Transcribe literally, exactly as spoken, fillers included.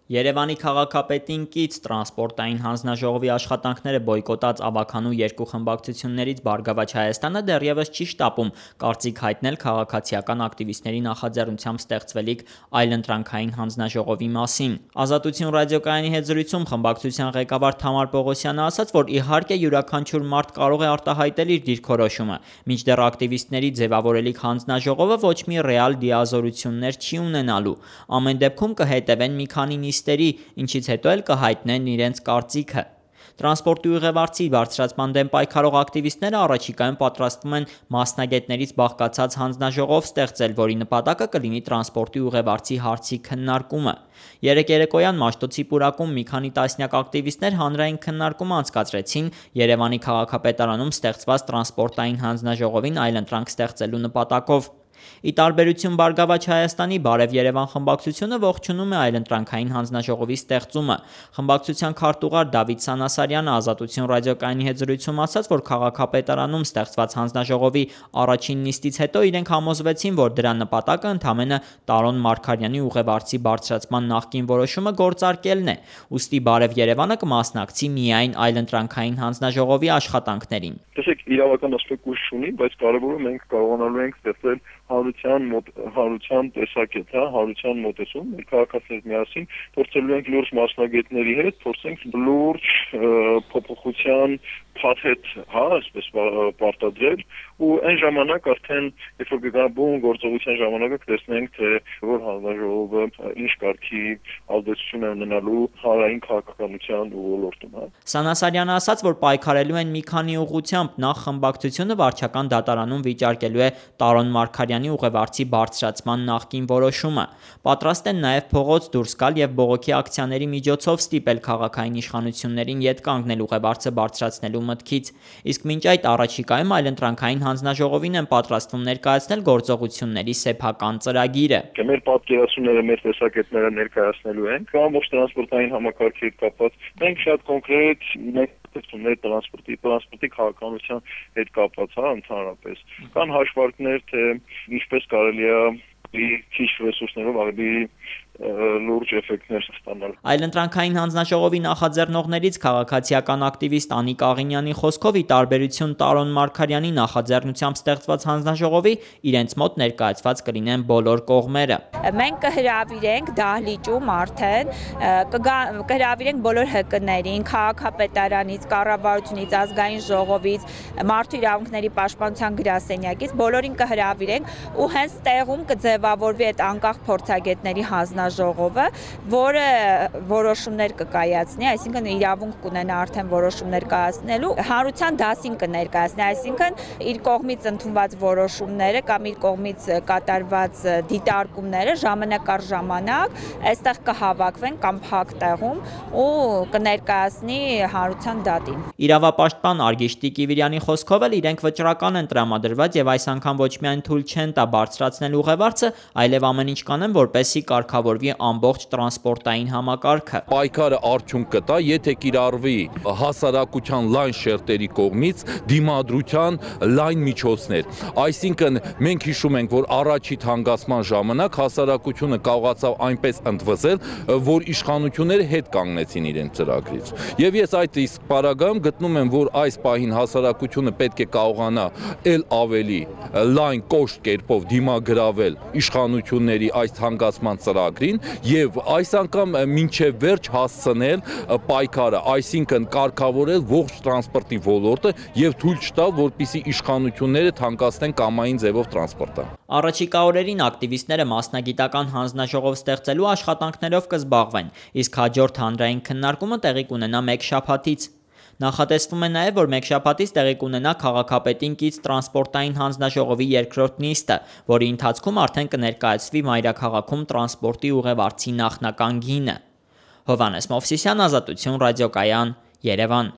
Երևանի քաղաքապետին կից տրանսպորտային հանձնաժողովի աշխատանքները բոյկոտած ավագանու երկու խմբակցություններից Բարգավաճ Հայաստանը դեռևս չի շտապում կարծիք հայտնել քաղաքացիական ակտիվիստների նախաձեռնությամբ ստեղծվելիք այլընտրանքային հանձնաժողովի մասին։ Ազատություն ռադիոկայանի հետ զրույցում խմբակցության ղեկավար Թամար Պողոսյանը ասաց, որ իհարկե յուրաքանչյուր մարդ կարող է արտահայտել իր դիրքորոշումը, մինչդեռ ակտիվիստների ձևավորելիք հանձնաժողովը ոչ մի ռեալ դիազորություններ չի ունենալու։ Ամեն դեպքում կհետևեն մի քանի նիստերի, ինչից հետո էլ կհայտնեն իրենց կարծիքը։ Տրանսպորտի ուղևորցի բարձրացման դեմ պայքարող ակտիվիստները առաջիկայում պատրաստվում են մասնագետներից բաղկացած հանձնաժողով ստեղծել, որի նպատակը կլինի տրանսպորտի ուղևորցի հարցի քննարկումը։ Երեկ երեկոյան Մաշտոցի պուրակում մի քանի տասնյակ ակտիվիստներ հանրային քննարկում անցկացրեցին Երևանի քաղաքապետարանում ստեղծված տրանսպորտային հանձնաժողովին այլընտրանք ստեղծելու նպատակով։ Ի տարբերություն Բարգավաճ Հայաստանի Բարև Երևան խմբակցությունը ողջունում է այլընտրանքային հանձնաժողովի ստեղծումը։ Խմբակցության քարտուղար Դավիթ Սանասարյանը Ազատություն ռադիոկայանի հետ զրույցում ասաց, որ քաղաքապետարանում ստեղծված հանձնաժողովի առաջին նիստից հետո իրենք համոզվեցին, որ դրա նպատակը ընդամենը Տարոն Մարգարյանի ուղևորցի բարձրացման նախկին որոշումը գործարկելն է։ Ուստի Բարև Երևանը կմասնակցի միայն այլընտրանքային հանձնաժողովի աշխատանքներին։ Տեսեք, իրավական ասպեկտ ուժ ունի, բայց կարևորը մենք կարողանալու ենք ստեղծել հարության հարության տեսակետ, հա, հարության մոտեցում, մեր քաղաքացիներով միասին փորձելու ենք լուրջ մասնագետների հետ, փորձենք լուրջ փոփոխության փաթեթ, հա, այսպես պարտադրել ու այն ժամանակ արդեն երբ որ գտնվում գործողության ժամանակը կտեսնենք, թե որ հանձնաժողովը ինչ կարգի ազդեցություն է ունենալու հանրային քաղաքականության ոլորտում, հա։ Սանասարյանը ասաց, որ պայքարելու են մի քանի ուղղությամբ, նախ խմբակցությունը վարչական դատարանում վիճարկելու է Տարոն Մարգարյանի ուղևորցի բարձրացման նախկին որոշումը։ Պատրաստ են նաև փողոց դուրս գալ եւ բողոքի ակցիաների միջոցով ստիպել քաղաքային իշխանություններին ետ կանգնել ուղևորցը բարձրացնելու մտքից։ Իսկ մինչ այդ առաջիկայում այլընտրանքային հանձնաժողովին են պատրաստվում ներկայացնել գործողությունների սեփական ծրագիրը։ Մեր պատկերացումները, մեր տեսակետները ներկայացնելու ենք ամբողջ տրանսպորտային համակարգի հետ կապված։ Մենք շատ կոնկրետ մեր տրանսպորտի տրանսպորտի քաղաքականության հետ կապված, հա, ընդհանրապես կան հաշվարկներ, թե ինչպես կարելի է քիչ ռեսուրսներով ավելի լուրջ էֆեկտներ ստանալ։ Այլընտրանքային հանձնաժողովի նախաձեռնողներից քաղաքացիական ակտիվիստ Անիկ Աղինյանի խոսքով, ի տարբերություն Տարոն Մարգարյանի նախաձեռնությամբ ստեղծված հանձնաժողովի, իրենց մոտ ներկայացված կլինեն բոլոր կողմերը։ Մենք կհրավիրենք դահլիճում արդեն կհրավիրենք բոլոր ՀԿ-ներին, քաղաքապետարանից, կառավարությունից, ազգային ժողովից, մարդու իրավունքների պաշտպանության գրասենյակից բոլորին կհրավիրենք ու հենց տեղում կձևավորվի այդ անկախ փորձագետների հանձնաժողովը, որը որոշումներ կկայացնի, այսինքն իրավունք կունենա արդեն որոշումներ կայացնելու, հանրության դասին կներկայացնի, այսինքն իր կողմից ընդունված որոշումները կամ իր կողմից կատարված դիտարկումները ժամանակ առ ժամանակ այստեղ կհավաքվեն կամ փակ տեղում ու կներկայացնի հանրության դատին։ Իրավապաշտպան Արգիշտի Կիվիրյանի խոսքով էլ իրենք վճռական են տրամադրված եւ այս անգամ ոչ միայն թույլ չեն տա բարձրացնել ուղևորցը, այլև ամեն ինչ կանեն, որպեսզի կարգավորվի ամբողջ տրանսպորտային համակարգը։ Պայքարը արդյունք կտա, եթե կիրառվի հասարակության լայն շերտերի կողմից դիմադրության լայն միջոցներ։ Այսինքն մենք հիշում ենք, որ առաջի թանկացման ժամանակ հասարակությունը կարողացավ այնպես ընդվզել, որ իշխանությունները հետ կանգնեցին իրենց ծրագրից։ Եվ ես այդ իսկ պարագայում գտնում եմ, որ այս պահին հասարակությունը պետք է կարողանա ել ավելի լայն կոշտ կերպով դիմագրավել իշխանությունների այս թանկացման ծրագրին եւ այս անգամ մինչեւ վերջ հասցնել պայքարը, այսինքն կարգավորել ողջ տրանսպորտի ոլորտը եւ թույլ չտալ, որպեսզի իշխանությունները թանկացնեն կամային ձևով տրանսպորտը։ Առաջիկա օրերին ակտիվիստները մասնագիտական հանձնաժողով ստեղծելու աշխատանքներով կզբաղվեն, իսկ հաջորդ հանրային քննարկումը տեղի կունենա մեկ շաբաթից։ Նախատեսվում է նաև, որ մեկ շաբաթից տեղի կունենա քաղաքապետին կից տրանսպորտային հանձնաժողովի երկրորդ նիստը, որի ընթացքում արդեն կներկայացվի մայրաքաղաքում տրանսպորտի ուղևորցի նախնական գինը։ Հովհաննես Մովսիսյան, Ազատություն ռադիոկայան, Երևան։